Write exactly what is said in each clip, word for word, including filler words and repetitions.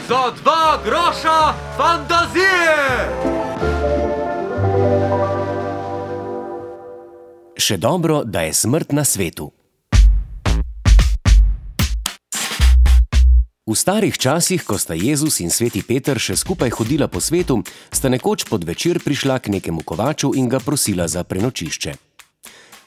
Za dva groša fantazije! Še dobro, da je smrt na svetu. V starih časih, ko sta Jezus in sveti Peter še skupaj hodila po svetu, sta nekoč podvečer prišla k nekemu kovaču in ga prosila za prenočišče.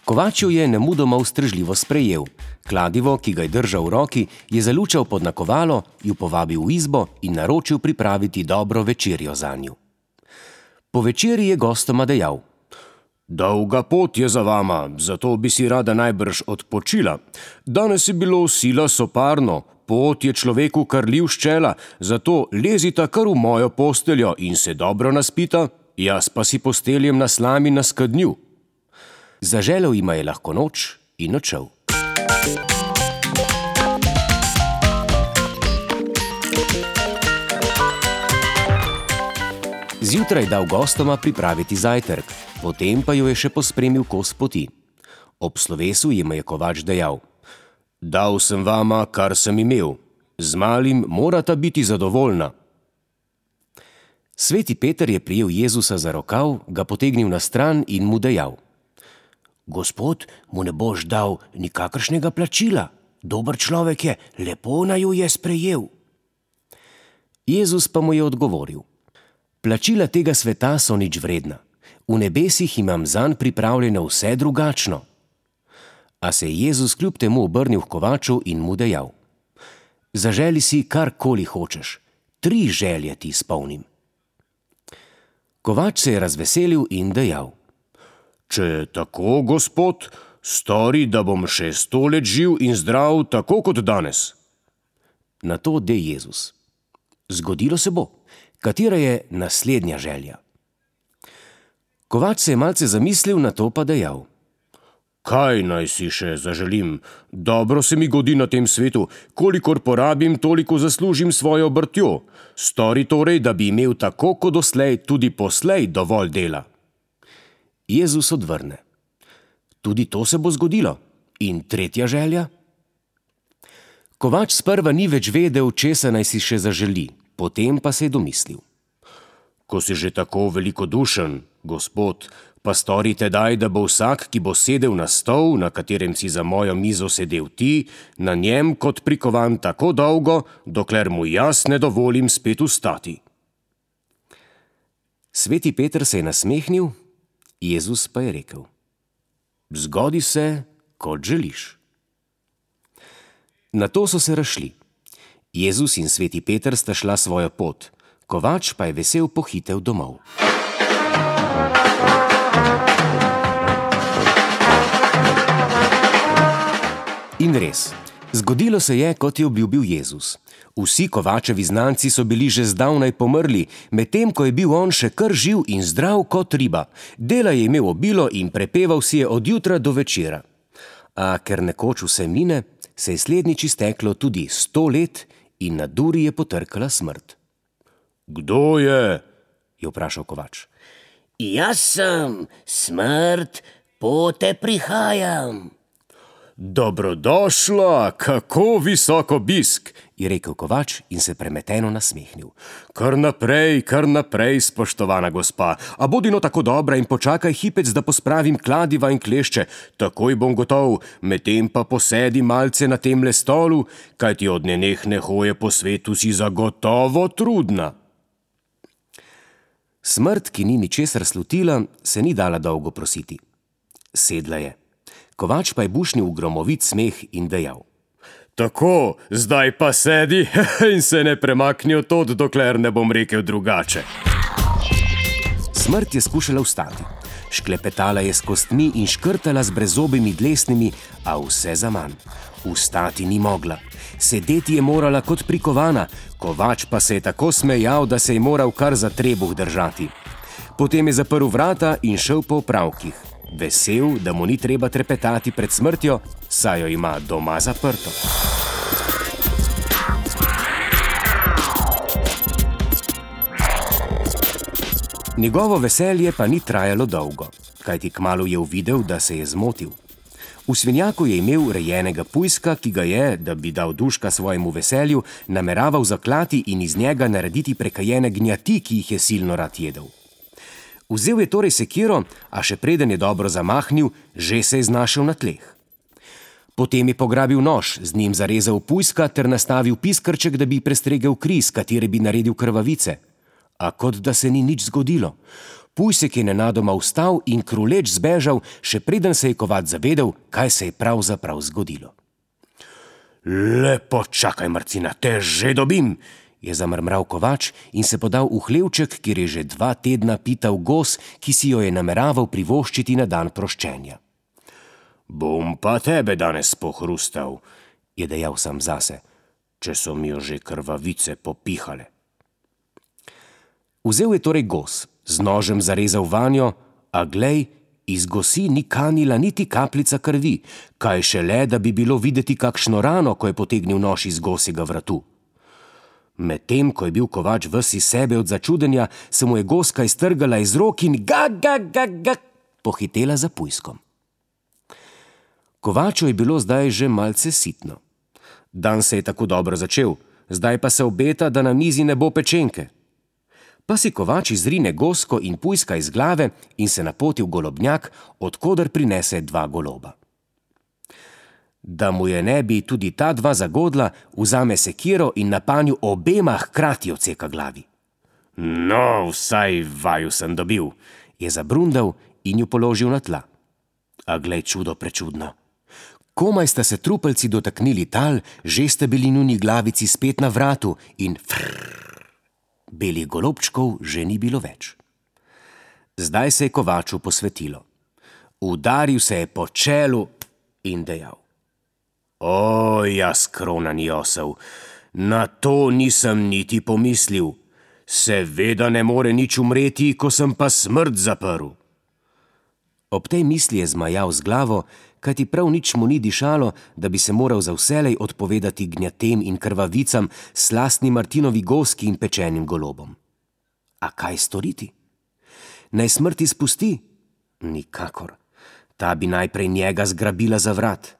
Kovač jo je nemudoma ustrežljivo sprejel. Kladivo, ki ga je držal v roki, je zalučal pod nakovalo, ju povabil v izbo in naročil pripraviti dobro večerjo zanju. Po večerji je gostoma dejal: Dolga pot je za vama, zato bi si rada najbrž odpočila. Danes je bilo sila soparno, pot je človeku karljiv ščela, zato lezita kar v mojo posteljo in se dobro naspita, jaz pa si posteljem na slami na skednju. Zaželel jima je lahko noč in odšel. Zjutraj dal gostoma pripraviti zajtrk, potem pa jo je še pospremil kos poti. Ob slovesu jima je kovač dejal: Dal sem vama, kar sem imel, z malim morata biti zadovoljna. Sveti Peter je prijel Jezusa za rokav, ga potegnil na stran in mu dejal: Gospod, mu ne boš dal nikakršnega plačila, dober človek je, lepo naju je sprejel. Jezus pa mu je odgovoril: Plačila tega sveta so nič vredna, v nebesih imam zanj pripravljeno vse drugačno. A se je Jezus kljub temu obrnil k kovaču in mu dejal: Zaželi si karkoli hočeš, tri želje ti izpolnim. Kovač se je razveselil in dejal: Če je tako, gospod, stori, da bom še sto let živ in zdrav, tako kot danes. Na to de Jezus: Zgodilo se bo, katera je naslednja želja? Kovač se je malce zamislil, na to pa dejal: Kaj naj si še zaželim? Dobro se mi godi na tem svetu, kolikor porabim, toliko zaslužim svojo obrtjo. Stori torej, da bi imel tako kot doslej tudi poslej dovolj dela. Jezus odvrne: Tudi to se bo zgodilo. In tretja želja? Kovač sprva ni več vedel, česa naj si še zaželi, potem pa se je domislil: Ko si že tako velikodušen, gospod, pa stori tedaj, da bo vsak, ki bo sedel na stol, na katerem si za mojo mizo sedel ti, na njem kot prikovan tako dolgo, dokler mu jaz ne dovolim spet vstati. Sveti Peter se je nasmehnil, Jezus pa je rekel: Zgodi se, kot želiš. Na to so se razšli. Jezus in sveti Peter sta šla svojo pot, kovač pa je vesel pohitel domov. In res, zgodilo se je, kot je obljubil Jezus. Vsi kovačevi znanci so bili že zdavnaj pomrli, medtem ko je bil on še kar živ in zdrav kot riba. Dela je imel obilo in prepeval si je od jutra do večera. A ker nekoč vse mine, se je slednjič izteklo tudi sto let in na duri je potrkala smrt. Kdo je? Je vprašal kovač. Jaz sem, smrt, pote prihajam. Dobrodošla, kako visok obisk, je rekel kovač in se premeteno nasmehnil. Kar naprej, kar naprej, spoštovana gospa, a bodino tako dobra in počakaj hipec, da pospravim kladiva in klešče, takoj bom gotov, medtem pa posedi malce na temle stolu, kajti od nenehne hoje po svetu si zagotovo trudna. Smrt, ki ni ničesar slutila, se ni dala dolgo prositi. Sedla je. Kovač pa je bušnil v gromovit smeh in dejal: Tako, zdaj pa sedi in se ne premakni od tod, dokler ne bom rekel drugače. Smrt je skušala vstati. Šklepetala je s kostmi in škrtala z brezzobimi dlesnimi, a vse zaman. Vstati ni mogla. Sedeti je morala kot prikovana, kovač pa se je tako smejal, da se je moral kar za trebuh držati. Potem je zaprl vrata in šel po opravkih. Vesel, da mu ni treba trepetati pred smrtjo, saj jo ima doma zaprto. Njegovo veselje pa ni trajalo dolgo, kajti kmalu je uvidel, da se je zmotil. V svinjaku je imel rejenega pujska, ki ga je, da bi dal duška svojemu veselju, nameraval zaklati in iz njega narediti prekajene gnjati, ki jih je silno rad jedel. Vzel je torej sekiro, a še preden je dobro zamahnil, že se je znašel na tleh. Potem je pograbil nož, z njim zarezal pujska ter nastavil piskrček, da bi prestregel kri, s katere bi naredil krvavice. A kot da se ni nič zgodilo. Pujsek je nenadoma vstal in kruleč zbežal, še preden se je Kovač zavedel, kaj se je pravzaprav zgodilo. Lepo čakaj, Marcina, te že dobim, je zamrmral Kovač in se podal v hlevček, kjer je že dva tedna pital gos, ki si jo je nameraval privoščiti na dan proščenja. Bom pa tebe danes pohrustal, je dejal sam zase, če so mi jo že krvavice popihale. Vzel je torej gos, z nožem zarezal vanjo, a glej, iz gosi ni kanila niti kapljica krvi, kaj šele, da bi bilo videti kakšno rano, ko je potegnil nož iz gosjega vratu. Medtem, ko je bil Kovač ves iz sebe od začudenja, se mu je goska iztrgala iz rok in ga, ga, ga, ga, pohitela za pujskom. Kovaču je bilo zdaj že malce sitno. Dan se je tako dobro začel, zdaj pa se obeta, da na mizi ne bo pečenke. Pa si Kovač izrine gosko in pujska iz glave in se napoti v golobnjak, od koder prinese dva goloba. Da mu je ne bi tudi ta dva zagodla, vzame sekiro in na panju obema hkrati odseka glavi. No, vsaj vaju sem dobil, je zabrundal in ju položil na tla. A glej, čudo prečudno. Komaj sta se trupelci dotaknili tal, že sta bili njuni glavici spet na vratu in frrrr. Belih golobčkov že ni bilo več. Zdaj se je Kovaču posvetilo. Udaril se je po čelu in dejal: O, jaz kronani osel, na to nisem niti pomislil. Seveda ne more nič umreti, ko sem pa smrt zaprl. Ob tej misli je zmajal z glavo, kajti prav nič mu ni dišalo, da bi se moral za vselej odpovedati gnjatem in krvavicam, slastni Martinovi goski in pečenim golobom. A kaj storiti? Naj smrt izpusti? Nikakor. Ta bi najprej njega zgrabila za vrat.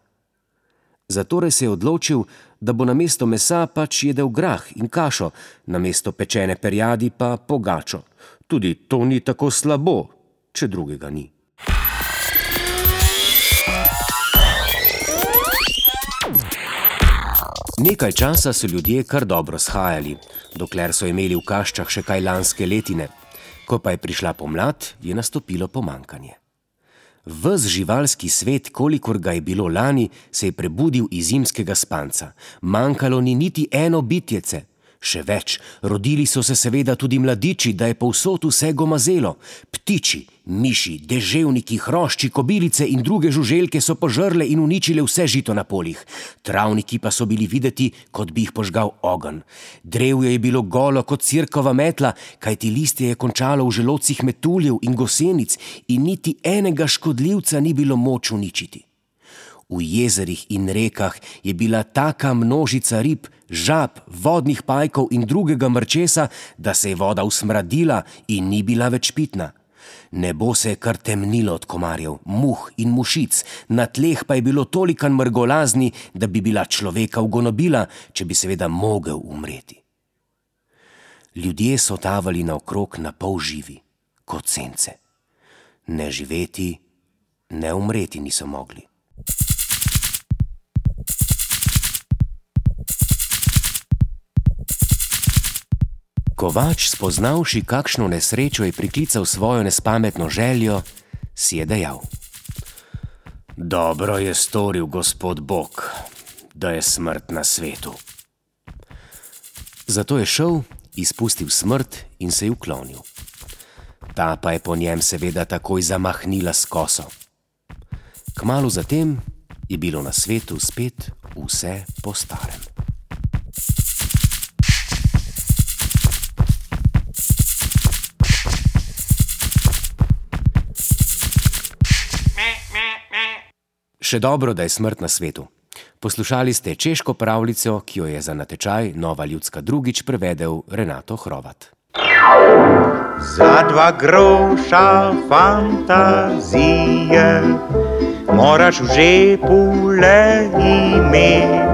Zatorej se je odločil, da bo namesto mesa pač jedel grah in kašo, namesto pečene perjadi pa pogačo. Tudi to ni tako slabo, če drugega ni. Nekaj časa so ljudje kar dobro shajali, dokler so imeli v kaščah še kaj lanske letine. Ko pa je prišla pomlad, je nastopilo pomankanje. Ves živalski svet, kolikor ga je bilo lani, se je prebudil iz zimskega spanca. Manjkalo ni niti eno bitjece. Še več, rodili so se seveda tudi mladiči, da je povsod vse gomazelo. Ptiči, miši, deževniki, hrošči, kobilice in druge žuželke so požrle in uničile vse žito na poljih. Travniki pa so bili videti, kot bi jih požgal ogenj. Drevje je bilo golo kot cirkova metla, kajti listje je končalo v želodcih metuljev in gosenic in niti enega škodljivca ni bilo moč uničiti. V jezerih in rekah je bila taka množica rib, žab, vodnih pajkov in drugega mrčesa, da se je voda usmradila in ni bila več pitna. Nebo se je kar temnilo od komarjev, muh in mušic, na tleh pa je bilo tolikan mrgolazni, da bi bila človeka ugonobila, če bi seveda mogel umreti. Ljudje so tavali naokrog na pol živi, kot sence. Ne živeti, ne umreti niso mogli. Kovač, spoznavši, kakšno nesrečo je priklical svojo nespametno željo, si je dejal: Dobro je storil Gospod Bog, da je smrt na svetu. Zato je šel, izpustil smrt in se ji uklonil. Ta pa je po njem seveda takoj zamahnila s koso. Kmalu zatem je bilo na svetu spet vse po starem. Še dobro, da je smrt na svetu. Poslušali ste češko pravljico, ki jo je za natečaj Nova ljudska drugič prevedel Renato Hrovat. Za dva groša fantazije moraš v žepu le imeti.